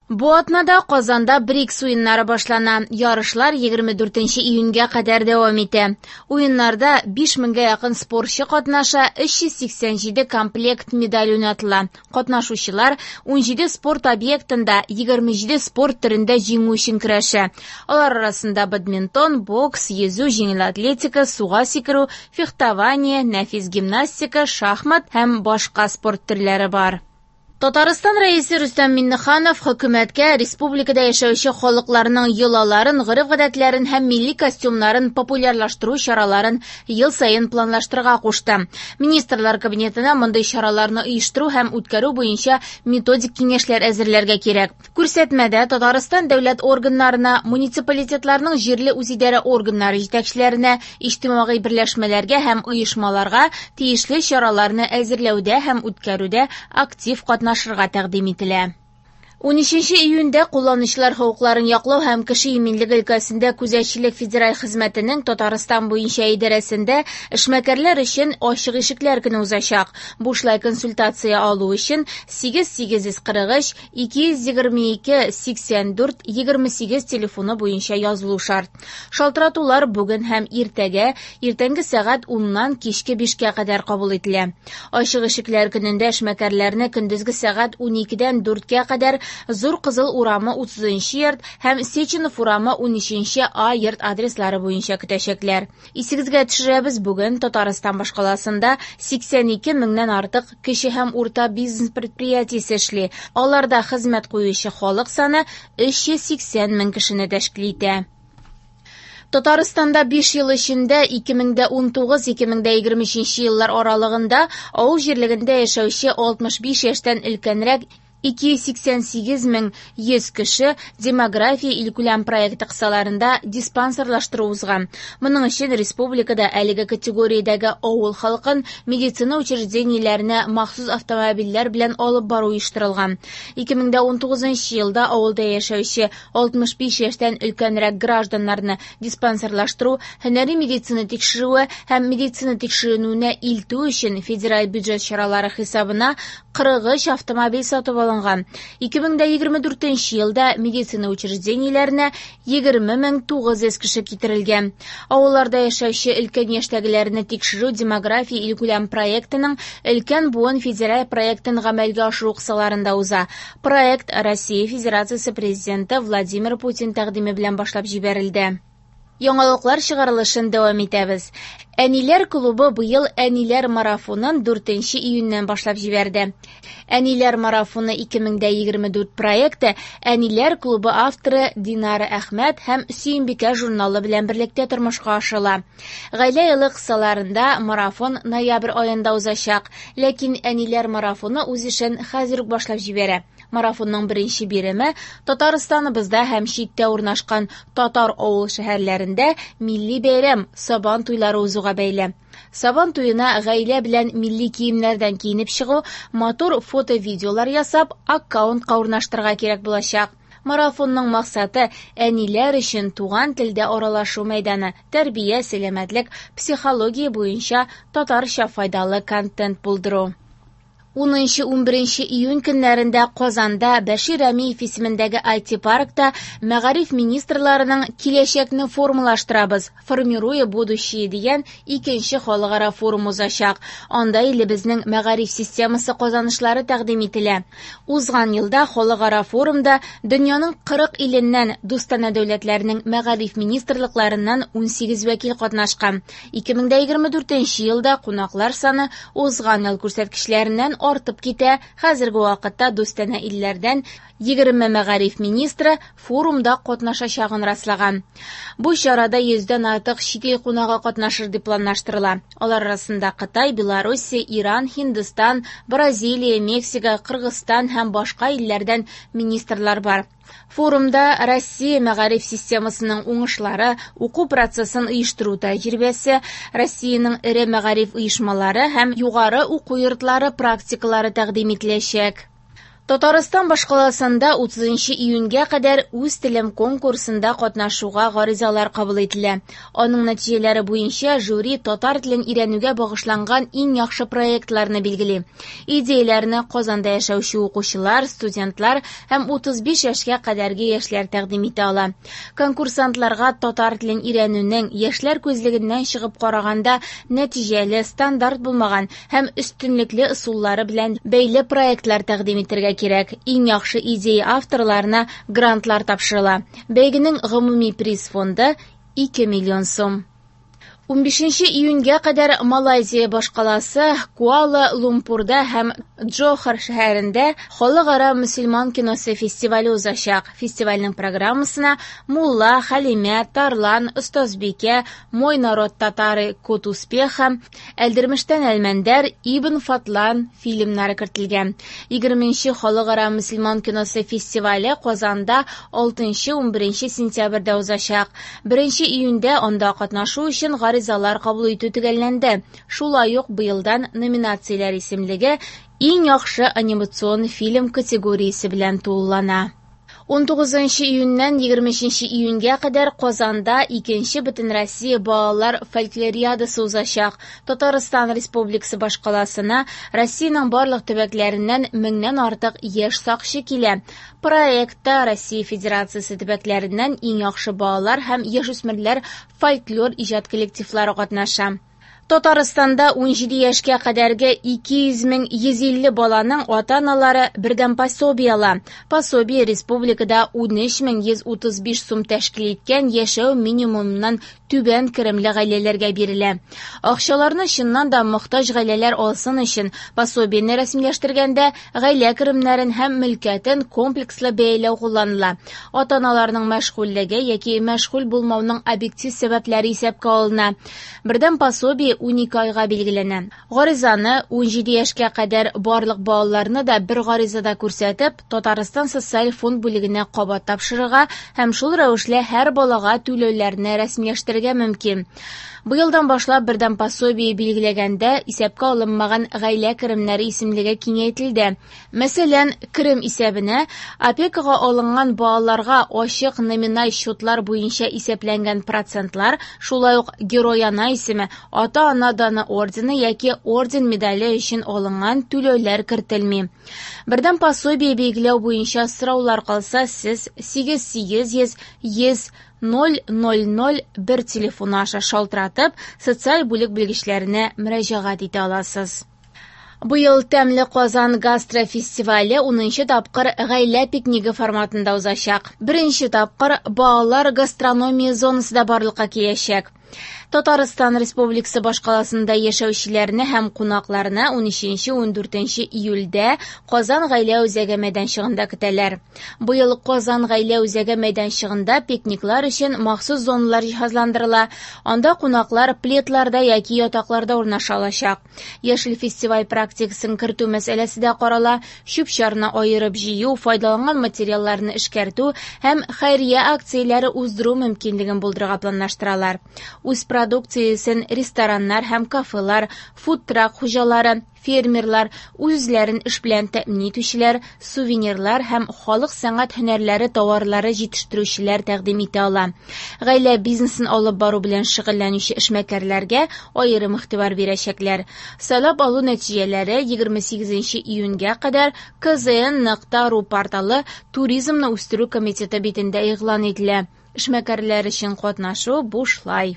Бу атнада Казанда БРИКС уеннары башлана. Ярышлар 24 июньгә кадәр дәвам итә. Уеннарда 5 меңгә якын спортчы катнаша, 387 комплект медаль уйнатыла. Катнашучылар 17 спорт объектында 27 спорт төрендә җиңү өчен көрәшә. Алар арасында бадминтон, бокс, йөзү, җиңел атлетика, суга сикерү, фехтование, нәфис гимнастика, шахмат һәм башка спорт төрләре бар. Татарстан Рәисе Рөстәм Миңнеханов хөкүмәткә республикада яшәүче халыкларның йолаларын, гореф-гадәтләрен һәм милли костюмнарын популярлаштыру чараларын ел саен планлаштырырга кушты. Министрлар Кабинетына мондый чараларны оештыру һәм үткәрү буенча методик киңәшләр әзерләргә кирәк. Күрсәтмәдә Татарстан дәүләт органнарына, муниципалитетларның җирле үзидарә органнары җитәкчеләренә, иҗтимагый берләшмәләргә һәм оешмаларга тиешле чараларны әзерләүдә һәм үткәрүдә актив катнашырга тәкъдим ителә. 13 июньдә кулланучылар хокукларын яклау һәм кеше иминлеге өлкәсендә күзәтчелек федераль хезмәтенең Татарстан буенча идарәсендә эшмәкәрләр өчен ачык ишекләр көне узачак. Бушлай консультация алу өчен 8 843 222 84 28 телефоны буенча язылу шарт. Шалтыратулар бүген һәм иртәгә иртәнге сәгать 10-нан кичке 5кә кадәр кабул ителә. Ачык ишекләр көнендә эшмәкәрләрне көндезге сәгать 12-дән 4кә кадәр Зур Кызыл урамы 30 йорт һәм Сеченов урамы 13 А йорт адреслары буенча көтәчәкләр. Исегезгә төшерәбез, бүген Татарстан башкаласында 82 меңнән артык кече һәм урта бизнес предприятиесе эшли. Аларда хезмәт куючы халык саны 380 мең кешене тәшкил итә. Татарстанда 5 ел эчендә 2019-2023 еллар аралыгында авыл җирлегендә яшәүче 65 яшьтән өлкәнрәк 288 мең 100 кеше «Демография» илкүләм проекты кысаларында диспансерлаштыру узган. Моның өчен республикада әлеге категориядәге авыл халкын медицина учреждениеләренә махсус автомобильләр белән алып бару оештырылган. 2019 елда авылда яшәүче 65 яшьтән өлкәнрәк гражданнарны диспансерлаштыру, һөнәри медицина тикшерүе һәм медицина тикшеренүенә илтү өчен федераль бюджет чаралары хисабына 43 автомобиль сатып алынган. 2024 елда медицина учреждениеләренә 20 900 кеше китерелгән. Авылларда яшәүче өлкән яшьтәгеләрне тикшерү «Демография» илкүләм проектының «Өлкән буын» федераль проектын гамәлгә ашыру кысаларында уза. Проект Россия Федерациясе Президенты Владимир Путин тәкъдиме белән башлап җибәрелде. Яңалыклар чыгарылышын дәвам итәбез. Әниләр клубы быел Әниләр марафонын 4 июньнән башлап җибәрде. Әниләр марафоны 2024 проекты Әниләр клубы авторы Динара Әхмәт һәм Сөембикә журналы белән берлектә тормышка ашырыла. Гаилә елы кысаларында марафон ноябрь аенда узачак, ләкин Әниләр марафоны үз эшен хәзер үк башлап җибәрә. Марафонның беренче биреме Татарстаныбызда һәм читтә урнашкан татар авыл шәһәрләрендә милли бәйрәм Сабан туйлары узуга бәйле. Сабан туена гаилә белән милли киемнәрдән киенеп чыгу, матур фото-видеолар ясап, аккаунтка урнаштырырга кирәк булачак. Марафонның максаты әниләр өчен туган телдә аралашу мәйданы, тәрбия, сәламәтлек, психология буенча татарча файдалы контент булдыру. 10-11 июнь көннәрендә Казанда Бәшир Рәмиев исемендәге IT-паркта мәгариф министрларының «Киләчәкне формалаштырабыз», «Формируя будущее» дигән икенче халыкара форум узачак. Анда илебезнең мәгариф системасы казанышлары тәкъдим ителә. Узган елда халыкара форумда дөньяның 40 иленнән дустанә дәүләтләрнең мәгариф министрлыкларыннан 18 вәкил катнашкан. 2024 елда кунаклар саны узган ел күрсәткечләреннән артып китә. Хәзерге вакытта дустанә илләрдән 20 мәгариф министры форумда катнашачагын раслаган. Бу чарада 100дән артык чит ил кунагы катнашыр дип планлаштырыла. Алар арасында Кытай, Белоруссия, Иран, Һиндстан, Бразилия, Мексика, Кыргызстан һәм башка илләрдән министрлар бар. Форумда Россия мәгариф системасының уңышлары, уку процессын оештыру тәҗрибәсе, Россиянең эре мәгариф оешмалары һәм югары уку йортлары практикалары тәкъдим ителәчәк. Татарстан башкаласында 30 июньгә кадәр «Үз телем» конкурсында катнашуга гаризалар кабул ителә. Аның нәтиҗәләре буенча жюри татар телен өйрәнүгә багышланган иң яхшы проектларны билгели. Идеяләрне Казанда яшәүче укучылар, студентлар һәм 35 яшькә кадәрге яшьләр тәкъдим итә ала. Конкурсантларга татар телен өйрәнүнең яшьләр күзлегеннән чыгып караганда нәтиҗәле, стандарт булмаган һәм өстенлекле ысуллары белән бәйле проектлар тәкъдим итәргә кирәк. Иң яхшы идея авторларына грантлар тапшырыла. Бәйгенең гомуми приз фонды 2 миллион сум. 15 июньгә кадәр Малайзия башкаласы Куала-Лумпурда һәм Джохор шәһәрендә Халыкара мөселман киносы фестивале узачак. Фестивальнең программасына Мулла, Хәлимә, Тарлан, Остазбикә, Мой народ татары, Код успеха, Әлдермештән Әлмәндәр, Ибн Фадлан фильмнары кертелгән. 20 Халыкара мөселман киносы фестивале Казанда 6-11 сентябрьдә узачак. 1 июньдә анда катнашу өчен гаризалар кабул итү төгәлләнде. Шулай ук быелдан номинацияләр исемлеге иң яхшы анимацион фильм категориясе белән тулылана. 19 июньнән 23 июньгә кадәр Казанда 2нче Бөтенроссия балалар фольклориадасы узачак. Татарстан Республикасы башкаласына Россиянең барлык төбәкләреннән меңнән артык яшь сакчы килә. Проектта Россия Федерациясе төбәкләреннән иң яхшы балалар һәм яшүсмерләр фольклор иҗат коллективлары катнаша. Татарстанда 17 яшькә кадәрге 200 150 баланың ата-аналары бердәм пособие ала. Пособие республикада 13 135 сум тәшкил иткән яшәү минимумыннан түбән керемле гаиләләргә бирелә. Акчаларны чыннан да мохтаҗ гаиләләр алсын өчен пособиене рәсмиләштергәндә гаилә керемнәрен һәм мөлкәтен комплекслы бәяләү кулланыла. Ата-аналарның мәшгульлеге яки мәшгуль булмауның объектив сәбәпләре исәпкә алына. Бердәм пособие 12 айга билгеләнә. Гаризаны 17 яшькә кадәр барлык балаларны да бер гаризада күрсәтеп, Татарстан социаль фонд бүлегенә кабат тапшырырга һәм шул рәвешле һәр балага түләүләрне рәсмиләштерергә мөмкин. Быелдан башлап бердәм пособие билгеләгәндә исәпкә алынмаган гаилә керемнәре исемлеге киңәйтелде. Мәсәлән, керем исәбенә опекага алынган балаларга ачык номиналь счетлар буенча исәпләнгән процентлар, шулай ук Герой-ана исеме, ата-ана даны ордены яки орден медале өчен алынган түләүләр кертелми. Бердәм пособие билгеләү буенча сораулар калса, сез 8800 100 0001 телефоны аша шалтыратып, социаль бүлек белгечләренә мөрәҗәгать итә аласыз. Быел Тәмле Казан гастрофестивале 10 тапкыр гаилә пикнигы форматында узачак. Беренче тапкыр балалар гастрономия зонасы да барлыкка киләчәк. Татарстан Республикасы башкаласында яшәүчеләрне һәм кунакларны 13-14 июльдә Казан гаилә үзәге мәйданчыгында көтәләр. Быел Казан гаилә үзәге мәйданчыгында пикниклар өчен махсус зоналар җиһазландырыла. Анда кунаклар пледларда яки ятакларда урнаша алачак. Яшел фестиваль практикасын кертү мәсьәләсе дә карала. Чүп-чарны аерып җыю, файдаланган материалларны эшкәртү һәм хәйрия акцияләре уздыру мөмкинлеген булдырырга планлаштыралар. Үз продукциясен рестораннар һәм кафелар, фудтрак хуҗалары, фермерлар, үзләрен эш белән тәэмин итүчеләр, сувенирлар һәм халык сәнгать һөнәрләре товарлары җитештерүчеләр тәкъдим итә ала. Гаилә бизнесын алып бару белән шөгыльләнүче эшмәкәрләргә аерым игътибар бирәчәкләр. Сайлап алу нәтиҗәләре 28 июньгә кадәр kzn.ru порталы Туризмны үстерү комитеты битендә игълан ителә. Эшмәкәрләр өчен катнашу бушлай.